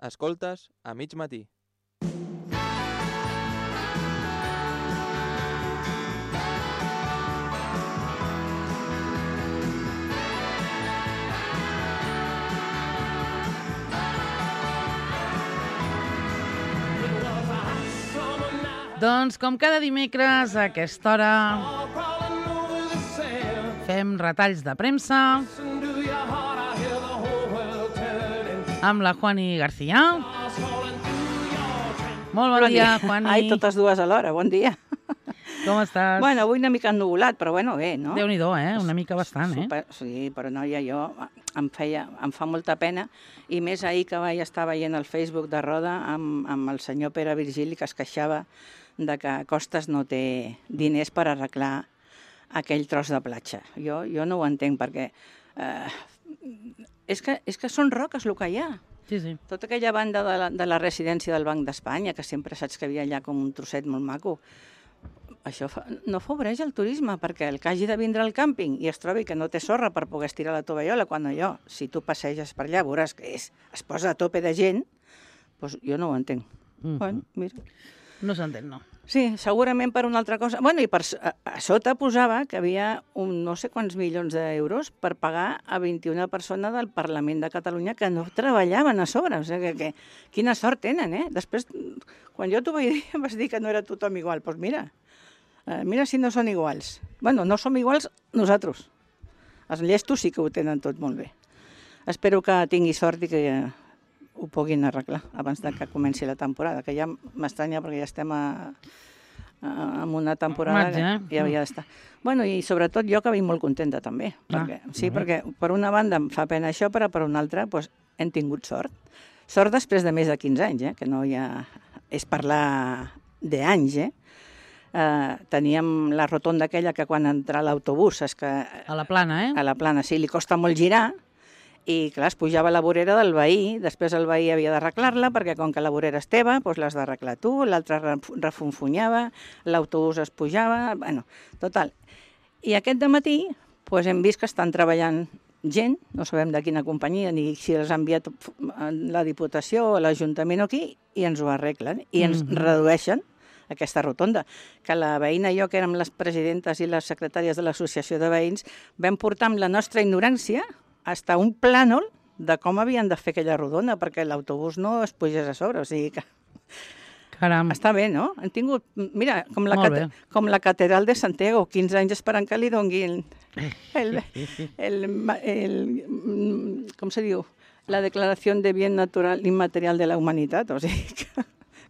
Escoltes a mig matí. Doncs, com cada dimecres, a aquesta hora, fem retalls de premsa amb la Juani García. Molt bon dia, Juani. Ai, totes dues alhora, bon dia. Com estàs? Bueno, avui una mica ennuvolat, però bueno, bé, no? Déu-n'hi-do, Una mica bastant, Sí, però noia, em fa molta pena, i més ahir que vaig estar veient el Facebook de Roda amb el senyor Pere Virgili, que es queixava de que Costes no té diners per arreglar aquell tros de platja. Jo no ho entenc, perquè és que són roques el que hi ha. Sí. Tota aquella banda de la residència del Banc d'Espanya, que sempre saps que havia allà com un trosset molt maco, això no afavoreix el turisme, perquè el que hagi de vindre al càmping i es trobi que no té sorra per poder estirar la tovallola, quan allò, si tu passeges per allà, veuràs que es posa a tope de gent, doncs jo no ho entenc. Bueno, mira. No s'entén, no. Sí, segurament per una altra cosa. Bueno, i a sota posava que havia no sé quants milions d'euros per pagar a 21 persones del Parlament de Catalunya que no treballaven a sobre. O sigui, que quina sort tenen, Després, quan jo t'ho vaig dir, em vas dir que no era tothom igual. Doncs mira si no són iguals. Bueno, no som iguals nosaltres. Els llestos sí que ho tenen tot molt bé. Espero que tingui sort i que ho puguin arreglar abans que comenci la temporada, que ja m'estranya perquè ja estem en una temporada que ja havia d'estar. Bueno, i sobretot jo que vinc molt contenta també, perquè per una banda em fa pena això, però per una altra hem tingut sort. Sort després de més de 15 anys, que no ja és parlar d'anys, teníem la rotonda aquella que quan entra l'autobús és que... A la Plana, A la Plana, sí, li costa molt girar, i clar, es pujava la vorera del veí, després el veí havia d'arreglar-la, perquè com que la vorera és teva, doncs l'has d'arreglar tu, l'altre refunfunyava, l'autobús es pujava, bueno, total. I aquest dematí hem vist que estan treballant gent, no sabem de quina companyia, ni si els ha enviat la Diputació o l'Ajuntament o qui, i ens ho arreglen, i ens redueixen aquesta rotonda, que la veïna i jo, que érem les presidentes i les secretàries de l'Associació de Veïns, vam portar amb la nostra ignorància hasta un plànol de com havien de fer aquella rodona perquè l'autobús no es pugés a sobre, o sigui que... Caram. Està bé, no? Han tingut, mira, com la catedral de Santiago, 15 anys esperant que li donguin com se diu? La declaració de bien natural immaterial de la humanitat, o sigui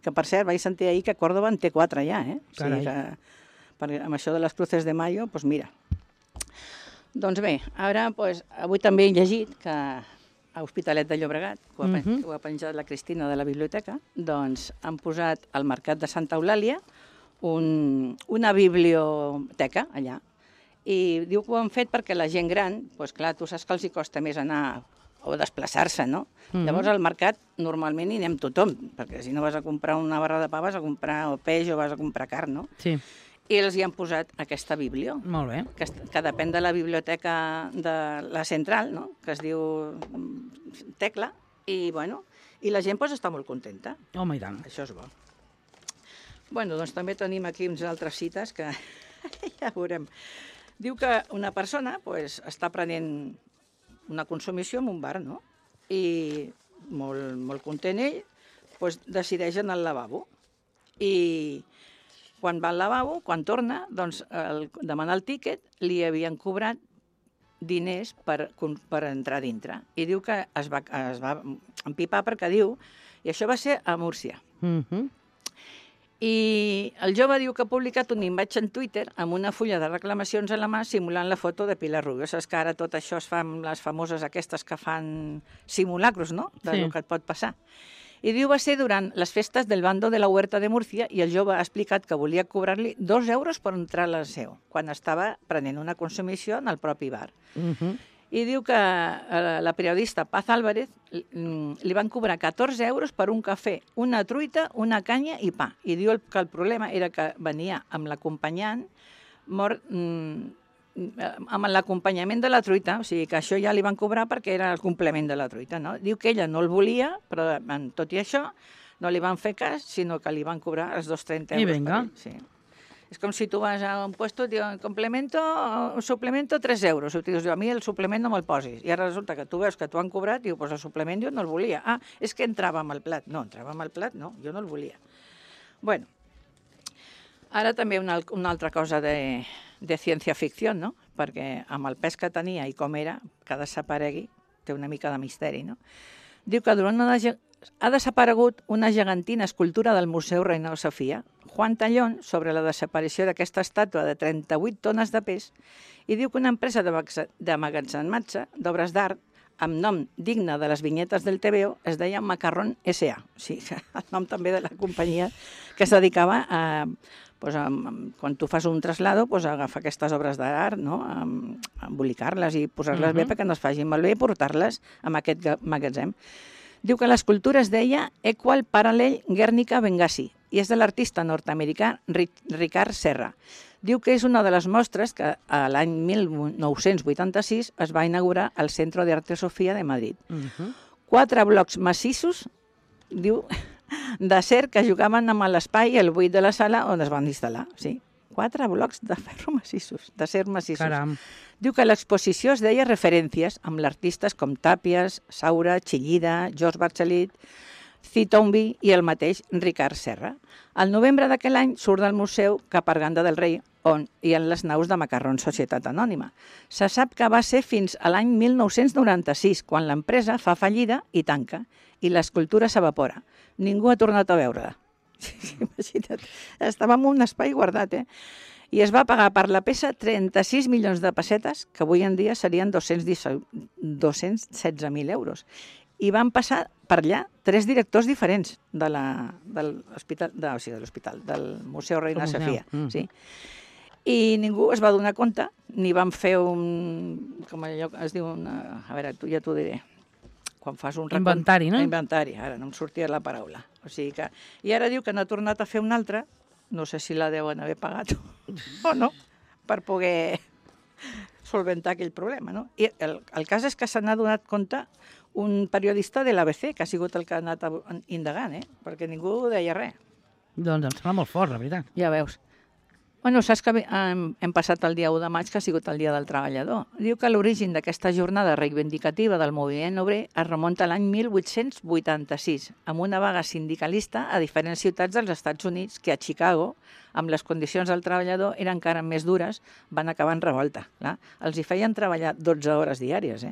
que per cert, vaig sentir ahir que Córdoba en té 4 ja, O sigui que amb això de les Cruces de Mayo, doncs mira. Doncs bé, ara, avui també he llegit que a Hospitalet de Llobregat, que ho ha penjat la Cristina de la biblioteca, doncs han posat al Mercat de Santa Eulàlia una biblioteca allà. I diu que ho han fet perquè la gent gran, doncs clar, tu saps que els hi costa més anar o desplaçar-se, no? Llavors al mercat normalment hi anem tothom, perquè si no vas a comprar una barra de pa vas a comprar o peix o vas a comprar carn, no? Sí. I els hi han posat aquesta biblio. Molt bé. Que depèn de la biblioteca de la central, no? Que es diu Tecla, i la gent està molt contenta. Home, i tant. Això és bo. Bueno, doncs també tenim aquí uns altres cites que ja veurem. Diu que una persona està prenent una consumició en un bar, no? I molt content ell, decideix anar al lavabo. I quan va al lavabo, quan torna, doncs, demanar el tíquet, li havien cobrat diners per entrar dintre. I diu que es va empipar perquè diu... I això va ser a Múrcia. I el jove diu que ha publicat un imatge en Twitter amb una fulla de reclamacions a la mà simulant la foto de Pilar Rubio. Saps que ara tot això es fa amb les famoses aquestes que fan simulacros, no?, del que et pot passar. I diu va ser durant les festes del bando de la Huerta de Múrcia i el jove ha explicat que volia cobrar-li 2 euros per entrar a la seu, quan estava prenent una consumició en el propi bar. I diu que la periodista Paz Álvarez li van cobrar 14 euros per un cafè, una truita, una canya i pa. I diu que el problema era que venia amb l'acompanyant amb l'acompanyament de la truita, o sigui que això ja li van cobrar perquè era el complement de la truita, no? Diu que ella no el volia, però tot i això no li van fer cas, sinó que li van cobrar els 230 euros. I vinga. Sí. És com si tu vas a un puesto i diuen suplemento 3 euros. I tu dius, a mi el suplement no me'l posis. I ara resulta que tu veus que t'ho han cobrat i dius, pues el suplement jo no el volia. Ah, és que entrava amb el plat. No, entrava amb el plat, no, jo no el volia. Bueno, ara també una altra cosa de ciència-ficció, no? Perquè amb el pes que tenia i com era, que desaparegui, té una mica de misteri, no? Diu que ha desaparegut una gegantina escultura del Museu Reina Sofia, Juan Tallón, sobre la desaparició d'aquesta estàtua de 38 tones de pes, i diu que una empresa d'emmagatzematge d'obres d'art amb nom digne de les vinyetes del TVO es deia Macarrón S.A. O sigui, el nom també de la companyia que es dedicava a... quan tu fas un traslado, agafar aquestes obres d'art, no? Embolicar-les i posar-les bé perquè no es facin malbé i portar-les a aquest magatzem. Diu que l'escultura es deia Equal Parallel Guernica Benghazi i és de l'artista nord-americà Ricard Serra. Diu que és una de les mostres que l'any 1986 es va inaugurar al Centro de Arte Sofía de Madrid. 4 blocs massissos, diu, d'acer que jugaven amb l'espai i el buit de la sala on es van instal·lar. Sí, 4 blocs de ferro massissos, d'acer massissos. Caram. Diu que l'exposició es deia Referències, amb l'artistes com Tàpies, Saura, Chillida, George Bachelet, Citombi i el mateix Ricard Serra. Al novembre d'aquell any surt del museu cap a Arganda del Rei, on hi ha les naus de Macarrón Societat Anònima. Se sap que va ser fins a l'any 1996, quan l'empresa fa fallida i tanca, i l'escultura s'evapora. Ningú ha tornat a veure-la. Imagina't, estava en un espai guardat, I es va pagar per la peça 36 milions de pessetes, que avui en dia serien 216.000 euros. I van passar per allà 3 directors diferents de l'hospital, del Museu Reina Sofia. Sí. I ningú es va donar compte, ni van fer com allò es diu, a veure, ja t'ho diré, quan fas un inventari, no? Inventari, ara no em sortia la paraula. O sigui que... I ara diu que no ha tornat a fer un altre, no sé si la deuen haver pagat o no, per poder solventar aquell problema, no? I el cas és que se n'ha donat compte un periodista de l'ABC, que ha sigut el que ha anat indagant, perquè ningú deia res. Doncs em sembla molt fort, la veritat. Ja veus. Bueno, saps que hem passat el dia 1 de maig, que ha sigut el dia del treballador. Diu que l'origen d'aquesta jornada reivindicativa del moviment obrer es remunta a l'any 1886, amb una vaga sindicalista a diferents ciutats dels Estats Units que a Chicago, amb les condicions del treballador eren encara més dures, van acabar en revolta. Clar. Els hi feien treballar 12 hores diàries,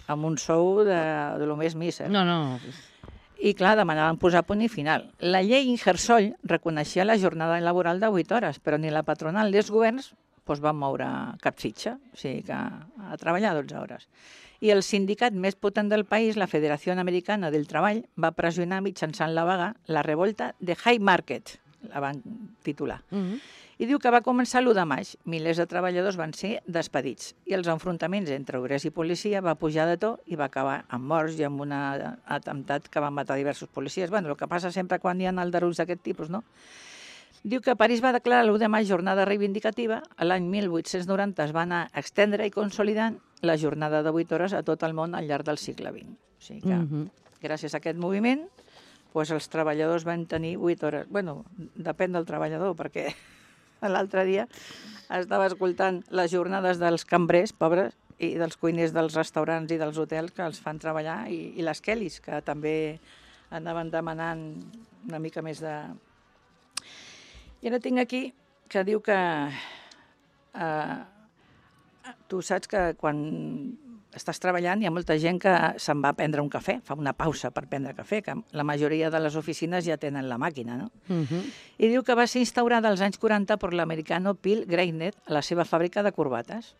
amb un sou de lo més míser. No. I, clar, demanaven posar punt i final. La llei Ingersoll reconeixia la jornada laboral de 8 hores, però ni la patronal ni els governs van moure cap fitxa, o sigui que a treballar 12 hores. I el sindicat més potent del país, la Federació Americana del Treball, va pressionar mitjançant la vaga la revolta de High Market, la van titular. I diu que va començar l'1 de maig. Milers de treballadors van ser despedits i els enfrontaments entre obrers i policia va pujar de to i va acabar amb morts i amb un atemptat que va matar diversos policies. Bueno, el que passa sempre quan hi ha aldarulls d'aquest tipus, no? Diu que París va declarar l'1 de maig jornada reivindicativa. L'any 1890 es va anar extendre i consolidant la jornada de 8 hores a tot el món al llarg del segle XX. O sigui que, gràcies a aquest moviment, els treballadors van tenir 8 hores. Bueno, depèn del treballador, perquè l'altre dia estava escoltant les jornades dels cambrers, pobres, i dels cuiners dels restaurants i dels hotels que els fan treballar, i les Kellys, que també anaven demanant una mica més de... I ara tinc aquí que diu que tu saps que quan estàs treballant hi ha molta gent que se'n va a prendre un cafè, fa una pausa per prendre cafè, que la majoria de les oficines ja tenen la màquina, no? I diu que va ser instaurada als anys 40 per l'americano Bill Greiner a la seva fàbrica de corbates.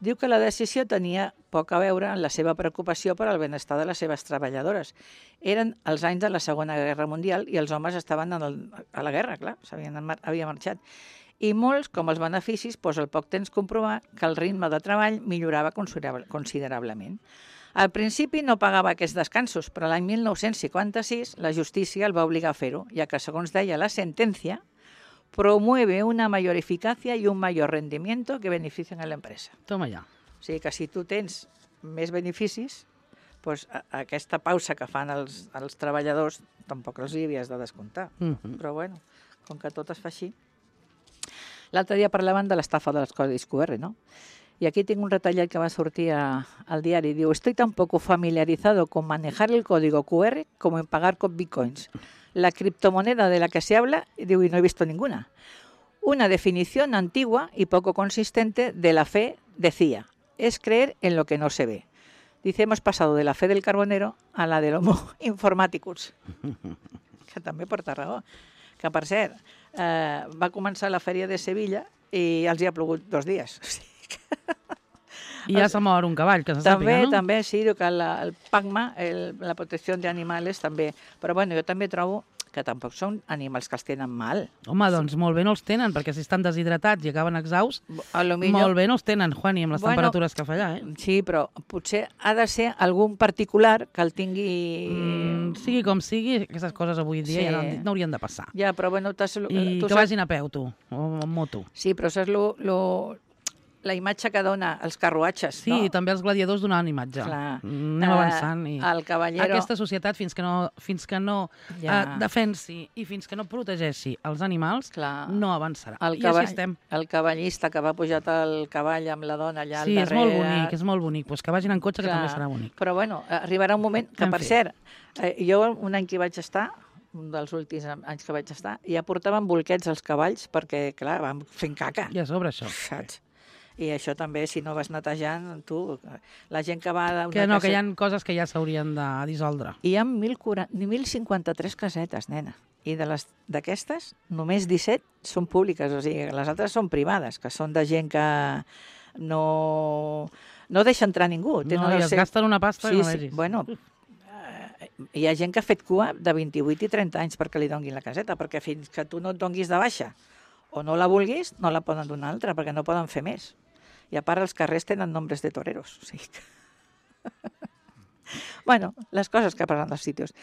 Diu que la decisió tenia poc a veure amb la seva preocupació per al benestar de les seves treballadores. Eren els anys de la Segona Guerra Mundial i els homes estaven a la guerra, clar, havia marxat. I molts, com els beneficis, al poc temps comprovar que el ritme de treball millorava considerablement. Al principi no pagava aquests descansos, però l'any 1956 la justícia el va obligar a fer-ho, ja que, segons deia la sentència, promueve una mayor eficacia y un mayor rendimiento que beneficien a la empresa. Toma ja. O sigui que si tu tens més beneficis, doncs aquesta pausa que fan els treballadors tampoc els hi havies de descomptar. Però bueno, com que tot es fa així. L'altre dia parlaven de l'estafa dels codis QR, ¿no? Y aquí tengo un retallat que va a sortir al diario. Digo, estoy tan poco familiarizado con manejar el código QR como en pagar con bitcoins. La criptomoneda de la que se habla, digo, y no he visto ninguna. Una definición antigua y poco consistente de la fe, decía, es creer en lo que no se ve. Dice, hemos pasado de la fe del carbonero a la del homo informaticus. Que també porta raó. Que, per cert, va començar la fèria de Sevilla i els hi ha plogut 2 dies. O sigui que... I ja s'ha mort un cavall, que se sàpiga, no? També, sí, diu que el PACMA, la protecció d'animals, també. Però bueno, jo també trobo que tampoc són animals que els tenen mal. Home, doncs molt bé no els tenen, perquè si estan deshidratats i acaben exhausts, molt bé no els tenen, Juani, amb les temperatures que fa allà, eh? Sí, però potser ha de ser algun particular que el tingui... Sigui com sigui, aquestes coses avui dia ja no haurien de passar. Ja, però bueno... I que vagin a peu, tu, o amb moto. Sí, però saps la imatge que dona els carruatges, no? Sí, també els gladiadors donaven imatge. Clar. Anem avançant. El cavallero... Aquesta societat, fins que no defensi i fins que no protegeixi els animals, no avançarà. I així estem. El cavallista que va pujat al cavall amb la dona allà al darrere... Sí, és molt bonic. Pues que vagin en cotxe, que també serà bonic. Però bueno, arribarà un moment que, per cert, jo un any que vaig estar, un dels últims anys que vaig estar, ja portaven bolquets als cavalls perquè, clar, van fent caca. I a sobre això. Saps? I això també, si no vas netejant, tu, la gent que va... Que no, que hi ha coses que ja s'haurien de dissoldre. Hi ha 1.053 casetes, nena. I d'aquestes, només 17 són públiques, o sigui, les altres són privades, que són de gent que no deixa entrar ningú. No, i es gasten una pasta i no vegis. Bueno, hi ha gent que ha fet cua de 28 i 30 anys perquè li donguin la caseta, perquè fins que tu no et donguis de baixa o no la vulguis, no la poden donar altra, perquè no poden fer més. I a part, els carrers tenen nombres de toreros. O sigui que... bueno, les coses que passen als sitios.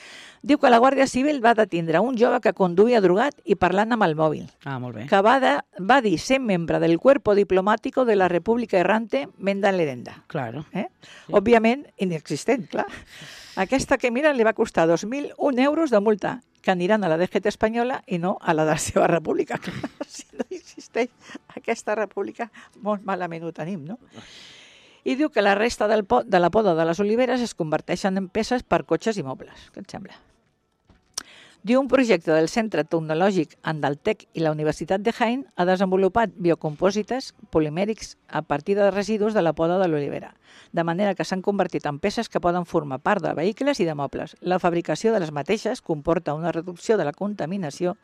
Diu que la Guàrdia Civil va detindre un jove que conduïa drogat i parlant amb el mòbil. Ah, molt bé. Que va dir ser membre del cuerpo diplomático de la República Errante Menda Lerenda. Claro. Sí. Òbviament, inexistent, clar. Aquesta que mira li va costar 2.001 euros de multa, que aniran a la DGT espanyola i no a la de la seva república. Si no existeix aquesta república, molt malament ho tenim, no? I diu que la resta de la poda de les oliveres es converteixen en peces per cotxes i mobles. Què et sembla? Diu un projecte del Centre Tecnològic Andaltec i la Universitat de Jaén ha desenvolupat biocompòsites polimèrics a partir de residus de la poda de l'olivera, de manera que s'han convertit en peces que poden formar part de vehicles i de mobles. La fabricació de les mateixes comporta una reducció de la contaminació.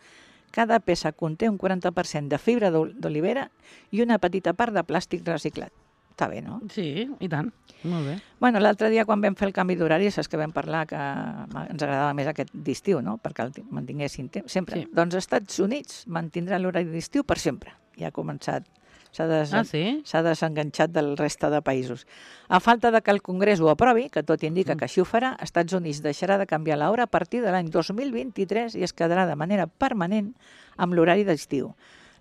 Cada peça conté un 40% de fibra d'olivera i una petita part de plàstic reciclat. Està bé, no? Sí, i tant. Molt bé. Bueno, l'altre dia, quan vam fer el canvi d'horari, saps que vam parlar que ens agradava més aquest d'estiu, no? Perquè el mantinguessin sempre. Sí. Doncs els Estats Units mantindrà l'horari d'estiu per sempre. Ja ha començat. S'ha desenganxat del resta de països. A falta de que el Congrés ho aprovi, que tot indica que així ho farà, Estats Units deixarà de canviar l'hora a partir de l'any 2023 i es quedarà de manera permanent amb l'horari d'estiu.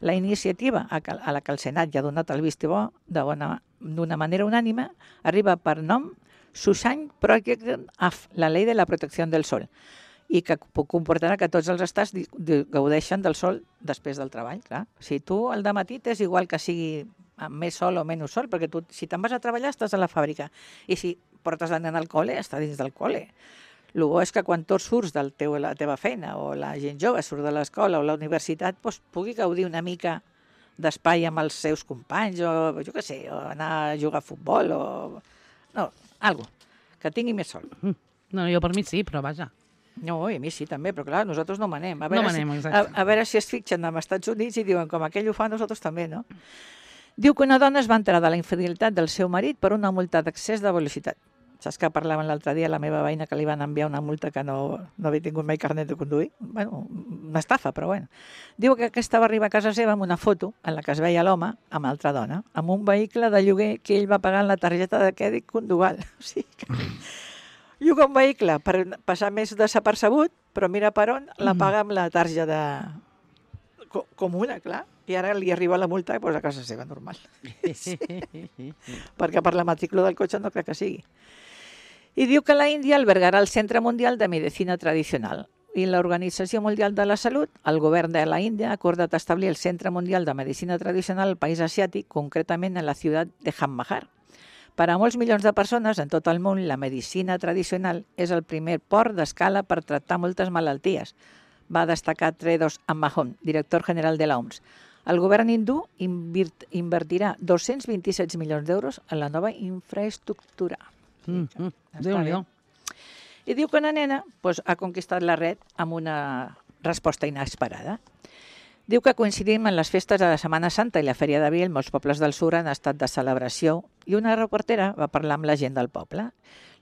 La iniciativa, a la que el Senat ja ha donat el vistiplau d'una manera unànime, arriba per nom Sunshine Project AF, la llei de la protecció del sol, i que comportarà que tots els estats gaudeixen del sol després del treball. Clar. Si tu al dematí és igual que sigui amb més sol o menys sol, perquè tu, si te'n vas a treballar estàs a la fàbrica, i si portes la nena al col·le, està dins del col·le. El bo és que quan tu surts de la teva feina o la gent jove surt de l'escola o la universitat, doncs pugui gaudir una mica d'espai amb els seus companys o jo què sé, o anar a jugar a futbol o... No, alguna cosa, que tingui més sol. No, jo per mi sí, però vaja. No, i a mi sí també, però clar, nosaltres no manem. No manem, exacte. A veure si es fixen als Estats Units i diuen com aquell ho fa, nosaltres també, no? Diu que una dona es va enterar de la infidelitat del seu marit per una multa d'excés de velocitat. Saps que parlaven l'altre dia la meva veïna que li van enviar una multa que no havia tingut mai carnet de conduir? Bueno, una estafa, però bueno. Diu que aquesta va arribar a casa seva amb una foto en la que es veia l'home amb altra dona, amb un vehicle de lloguer que ell va pagar en la targeta de crèdit condugal. O sigui que... Lloga un vehicle per passar més desapercebut, però mira per on la paga amb la targeta comuna, clar. I ara li arriba la multa i posa a casa seva, normal. Perquè per la matrícula del cotxe no crec que sigui. I diu que la Índia albergarà el Centre Mundial de Medicina Tradicional. I l'Organització Mundial de la Salut, el govern de la Índia, ha acordat establir el Centre Mundial de Medicina Tradicional al país asiàtic, concretament en la ciutat de Jamnagar. Per a molts milions de persones en tot el món, la medicina tradicional és el primer port d'escala per tractar moltes malalties, va destacar Tedros Adhanom, director general de l'OMS. El govern hindú invertirà 227 milions d'euros en la nova infraestructura. Déu-n'hi-do. I diu que una nena ha conquistat la red amb una resposta inesperada. Diu que coincidim en les festes de la Setmana Santa i la Fèria d'Abril, molts pobles del sud han estat de celebració i una reportera va parlar amb la gent del poble.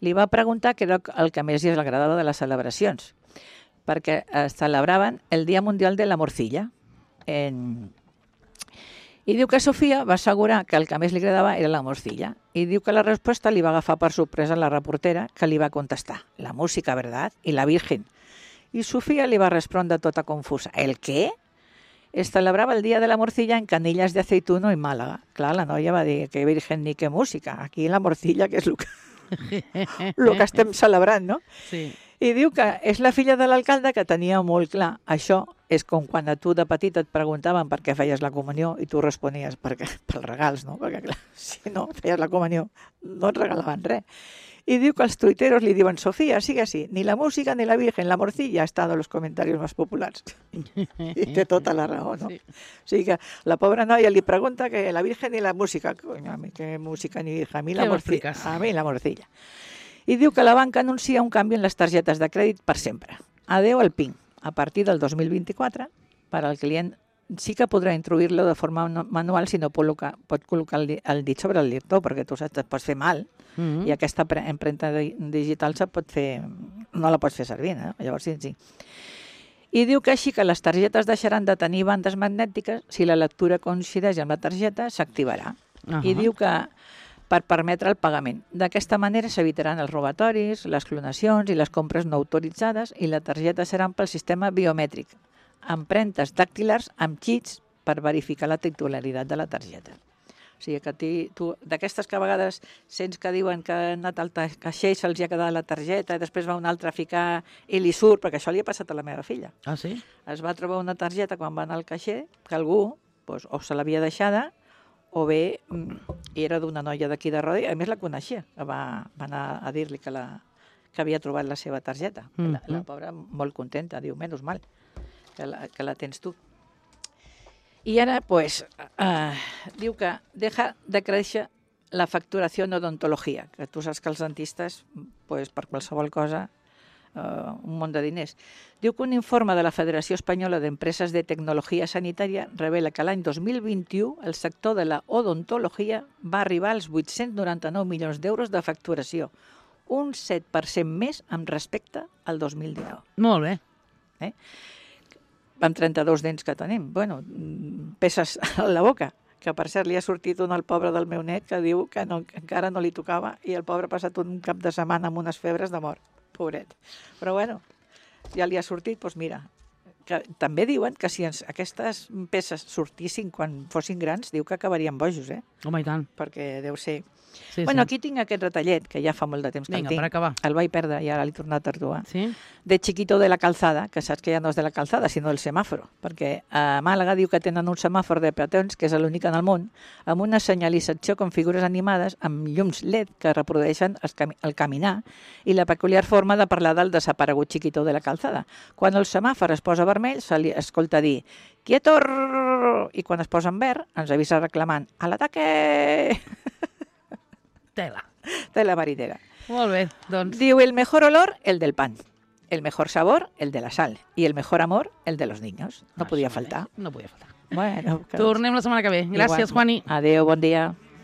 Li va preguntar què era el que més li agradava de les celebracions, perquè es celebraven el Dia Mundial de la Morcilla. I diu que Sofia va assegurar que el que més li agradava era la morcilla. I diu que la resposta li va agafar per sorpresa la reportera, que li va contestar: la música, ¿verdad? I la Virgen. I Sofia li va respondre tota confusa: ¿el què? Es celebrava el dia de la morcilla en Canillas de Aceituno i Màlaga. Clar, la noia va dir que Virgen ni que música. Aquí la morcilla, que és el que estem celebrant, no? Sí. I diu que és la filla de l'alcalde que tenia molt clar. Això és com quan a tu de petit et preguntaven per què feies la comunió i tu responies pels regals, no? Perquè clar, si no feies la comunió no et regalaven res. Y diu que els tuiteros li diuen: Sofía, sigue así, ni la música ni la Virgen, la morcilla ha estado en los comentarios más populares. I té tota la raó, no? Sí. O sigui que la pobra noia li pregunta que la Virgen i la música. Coño, a mi que música ni Virgen, a mi la morcilla. A mi la morcilla. I diu que la banca anuncia un canvi en les targetes de crèdit per sempre. Adeu al PIN. A partir del 2024, per al client sí que podrà introduir-lo de forma manual si no pot col·locar el dit sobre el lector, perquè tu saps, et pots fer mal, i aquesta empremta digital no la pots fer servir, no? Llavors sí. I diu que així que les targetes deixaran de tenir bandes magnètiques, si la lectura coincideix amb la targeta, s'activarà. I diu que per permetre el pagament. D'aquesta manera s'evitaran els robatoris, les clonacions i les compres no autoritzades, i la targeta serà pel sistema biomètric, empremtes dàctilars amb xits per verificar la titularitat de la targeta. O sigui que tu, d'aquestes que a vegades sents que diuen que han anat al caixer i se'ls ha quedat la targeta i després va un altre a ficar i li surt, perquè això li ha passat a la meva filla. Ah, sí? Es va trobar una targeta quan va anar al caixer que algú o se l'havia deixada o bé era d'una noia d'aquí de Rodi, a més la coneixia, va anar a dir-li que havia trobat la seva targeta. La pobra molt contenta, diu, menys mal que la tens tu. I ara, diu que deja de créixer la facturació en odontologia, que tu saps que els dentistes, per qualsevol cosa, un munt de diners. Diu que un informe de la Federació Espanyola d'Empreses de Tecnologia Sanitària revela que l'any 2021 el sector de la odontologia va arribar als 899 milions d'euros de facturació, un 7% més amb respecte al 2019. Molt bé. Amb 32 dents que tenim. Bueno, peces a la boca, que per cert li ha sortit un al pobre del meu net que diu que encara no li tocava i el pobre ha passat un cap de setmana amb unes febres de mort. Pobret. Però bueno, ja li ha sortit, doncs mira, que també diuen que si aquestes peces sortissin quan fossin grans, diu que acabarien bojos, Home, i tant. Perquè deu ser... Sí, bueno, aquí tinc aquest retallet, que ja fa molt de temps que el tinc. Vinga, per acabar. El vaig perdre i ara l'he tornat a trobar. Sí? De Chiquito de la Calzada, que saps que ja no és de la calzada, sinó del semàforo, perquè a Màlaga diu que tenen un semàfor de peatons, que és l'únic en el món, amb una senyalització com figures animades, amb llums LED que reprodueixen el caminar i la peculiar forma de parlar del desaparegut Chiquito de la Calzada. Quan el semàfor es posa vermell, se li escolta dir «Quieto!» i quan es posa en verd, ens avisa reclamant «A l'ataque!» Tela marinera. Molt bé, doncs... Diu, el mejor olor, el del pan. El mejor sabor, el de la sal. Y el mejor amor, el de los niños. No podia faltar. No podia faltar. Bueno, tornem la setmana que ve. Gràcies, Juani. Adéu, bon dia.